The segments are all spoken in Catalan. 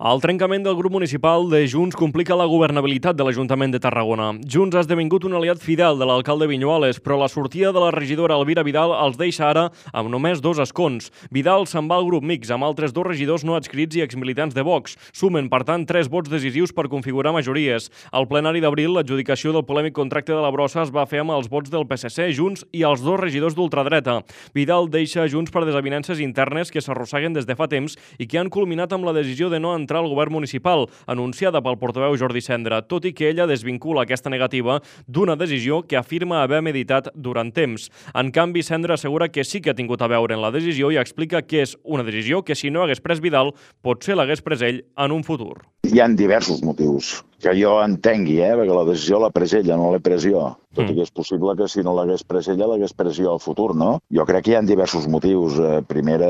El trencament del grup municipal de Junts complica la governabilitat de l'Ajuntament de Tarragona. Junts ha esdevingut un aliat fidel de l'alcalde Viñuales, però la sortida de la regidora Elvira Vidal els deixa ara amb només 2 escons. Vidal se'n va al grup mixt amb altres 2 regidors no adscrits i exmilitants de Vox. Sumen, per tant, 3 vots decisius per configurar majories. Al plenari d'abril, l'adjudicació del polèmic contracte de la brossa es va fer amb els vots del PSC, Junts i els 2 regidors d'ultradreta. Vidal deixa Junts per desavinences internes que s'arrosseguen des de fa temps i que han culminat amb la decisió de no entrar al govern municipal, anunciada pel portaveu Jordi Cendra, tot i que ella desvincula aquesta negativa d'una decisió que afirma haver meditat durant temps. En canvi, Cendra assegura que sí que ha tingut a veure en la decisió i explica que és una decisió que si no hagués pres Vidal, potser l'hagués pres ell en un futur. Hi ha diversos motius que jo entengui, perquè la decisió l'ha pres ella, no l'he pres jo. Tot i que és possible que si no l'hagués pres ella, l'hagués pres jo al futur, no? Jo crec que hi ha diversos motius. Primera,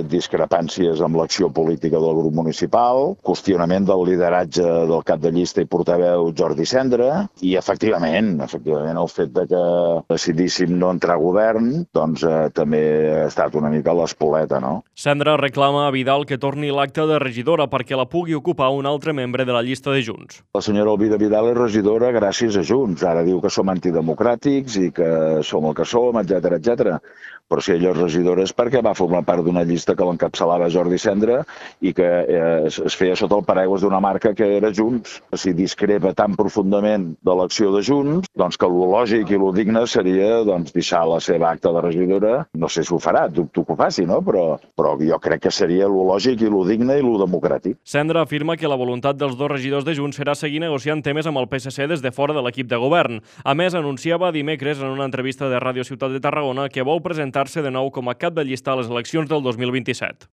discrepàncies amb l'acció política del grup municipal, qüestionament del lideratge del cap de llista i portaveu Jordi Cendra, i efectivament el fet de que decidíssim no entrar a govern, doncs també ha estat una mica l'espoleta, no? Cendra reclama a Vidal que torni l'acta de regidora perquè la pugui ocupar un altre membre de la llista de Junts. La senyora Elvira Vidal és regidora gràcies a Junts. Ara diu que som antidemocràtics i que som el que som, etcètera, etcètera. Però si ella és regidora és perquè va formar part d'una llista que l'encapçalava Jordi Cendra i que es feia sota el paraigües d'una marca que era Junts. Si discrepa tan profundament de l'acció de Junts, doncs que lo lògic i lo digne seria deixar la seva acta de regidora. No sé si ho farà, dubto que ho faci, no? Però jo crec que seria lo lògic i lo digne i lo democràtic. Cendra afirma que la voluntat dels 2 regidors de Junts serà seguir negociant temes amb el PSC des de fora de l'equip de govern. A més, anunciava dimecres en una entrevista de Ràdio Ciutat de Tarragona que vol presentar-se de nou com a cap de llista a les eleccions del 2027.